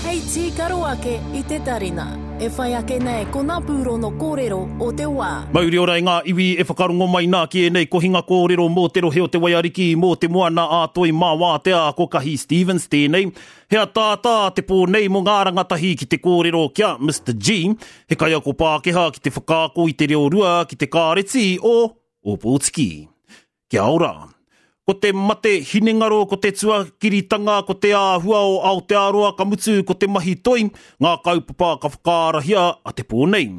Hei tīkaro ake i te tarina. E whai ake nei ko ngā pūrono kōrero o te wā. Mauri ora i ngā iwi e whakarongo mai nā ki ēnei kohinga kōrero mō te rohe o Te Waiariki, mō te moana ā Toi mā Wātea, ko Kahi Stevens tēnei. He ataata te pō nei mō ngā rangatahi ki te kōrero ki a Mister G, he kaiako Pākehā ki te whakaako i te reo rua ki te kāreti o Ōpōtiki. Kia ora. Ko te mate hinengaro, ko te tuakiritanga, ko te āhua o Aotearoa, ka mutu ko te mahi toi, ngā kaupapa ka whakaarahia a te pō nei.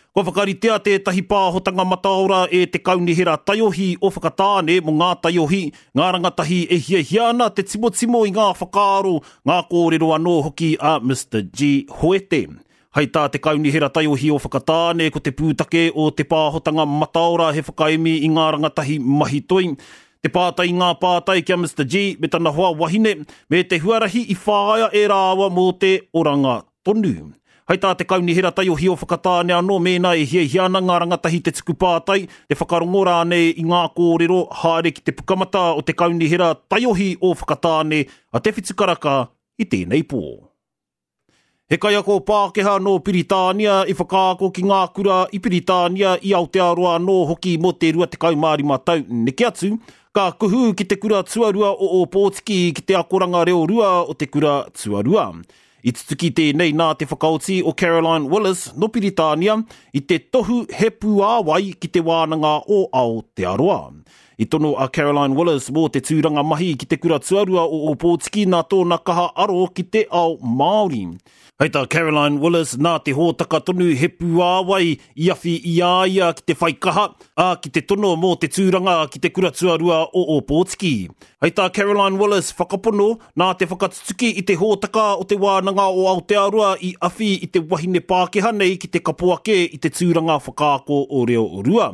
Kua whakaritea tētahi pāhotanga mataora e te Kaunihera Taiohi o Whakatāne mō ngā taiohi, ngā rangatahi e hiahia ana te timotimo i ngā whakaaro, ngā kōrero anō hoki a Mister G. Hoete. Hei tā te Kaunihera Taiohi o Whakatāne, ko te pūtake o te pāhotanga mataora he whakaemi i ngā rangatahi mahi toi, te pātai i ngā pātai ki a Mister G me tana hoa wahine, me te huarahi i whāia e rāua mō te oranga tonu. Hei tā te Kaunihera Taiohi o Whakatāne anō, mēnā e hiahia ana ngā rangatahi te tuku pātai, te whakarongo rānei i ngā kōrero, haere ki te pukamata o te Kaunihera Taiohi o Whakatāne a Te Whitukaraka i tēnei pō. He kaiako Pākehā nō Piritānia i whakaako ki ngā kura i Piritānia, i Aotearoa anō hoki mō te 25 tau neke atu, ka kuhu ki te kura tuarua o Ōpōtiki ki te akoranga reo rua o te kura tuarua. I tutuki tēnei nā te whakaoti o Caroline Willis nō Piritānia i te tohu He Puāwai ki Te Wānanga o Aotearoa. I tono a Caroline Willis mō te tūranga mahi ki te kura tuarua o Ōpōtiki nā tōna kaha aro ki te ao Māori. Hei tā Caroline Willis, nā te hōtaka tonu He Puāwai i awhi i a ia ki te whai kaha, ā, ki te tono mō te tūranga ki te kura tuarua o Ōpōtiki. Hei tā Caroline Willis, whakapono, nā te whakatutuki i te hōtaka o Te Wānanga o Aotearoa i awhi i te wahine Pākehā nei ki te kapo ake i te tūranga whakaako o reo rua.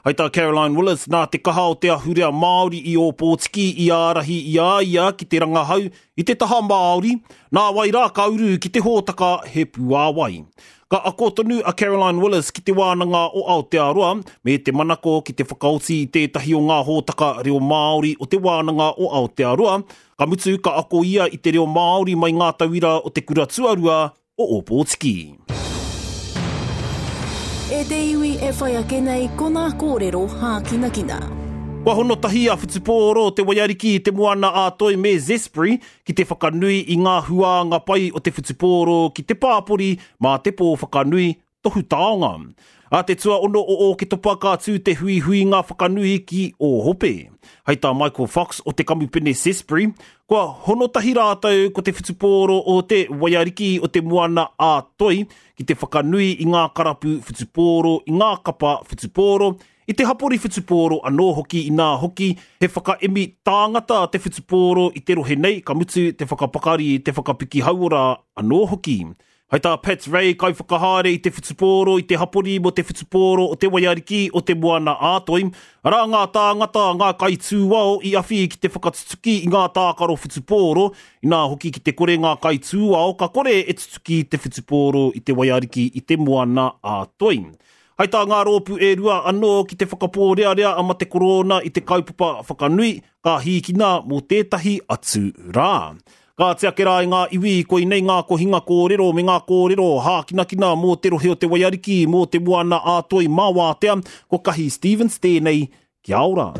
Hai tā Caroline Willis, nā te kaha o te ahurea Māori i Ōpōtiki i ārahi i a ia ki te rangahau i te taha Māori, nāwai rā ka uru ki te hōtaka He Puāwai. Ka ako tonu a Caroline Willis ki Te Wānanga o Aotearoa, me te manako ki te whakaoti i tētahi o ngā hōtaka reo Māori o Te Wānanga o Aotearoa, ka mutu ka ako ia i te reo Māori mai ngā tauira o te kura tuarua o Ōpōtiki. E te iwi e whai ake nei ko nā kōrero hākinakina. Kua hono tahi a Whutupōro, Te Waiariki, Te Moana a Toi me Zespri ki te whakanui i ngā huānga pai o te whutupōro ki te pāpori mā te pō whakanui tohu taonga. A te tuaono o Ōketopa ka tū te huihuinga whakanui ki Ōhope. Hei tā Michael Fox o te kamupene Zespri, kua hono tahi rātou ko te whutupōro o te Waiariki o te Moana a Toi ki te whakanui i ngā karapu whutupōro, i ngā kapa whutupōro, i te hapori whutupōro anō hoki inā hoki he whakaemi tāngata te whutupōro i te rohe nei, ka mutu te whakapakari, te whakapiki hauora anō hoki. Hai tā Pat Ray, kaiwhakahaere i te whutupōro i te hapori mō te whutupōro o Te Waiariki o Te Moana ā-Toi, arā ngā tāngata, ngā kaitūao i awhi ki te whakatutuki i ngā tākaro whutupōro, inā hoki ki te kore ngā kaitūao ka kore e tutuki te whutupōro i Te Waiariki i Te Moana ā-Toi. Hai tā ngā rōpū e rua anō ki te whakapōrearea a Mate Korona i te kaupapa whakanui, ka hīkina mō tētahi atu rā. Kāti ake rā i ngā iwi, koinei ngā kohinga kōrero me ngā kōrero hākinakina mō te rohe o Te Waiariki, mō te Moana ā-Toi mā Wātea, ko Kahi Stevens tēnei, kia ora.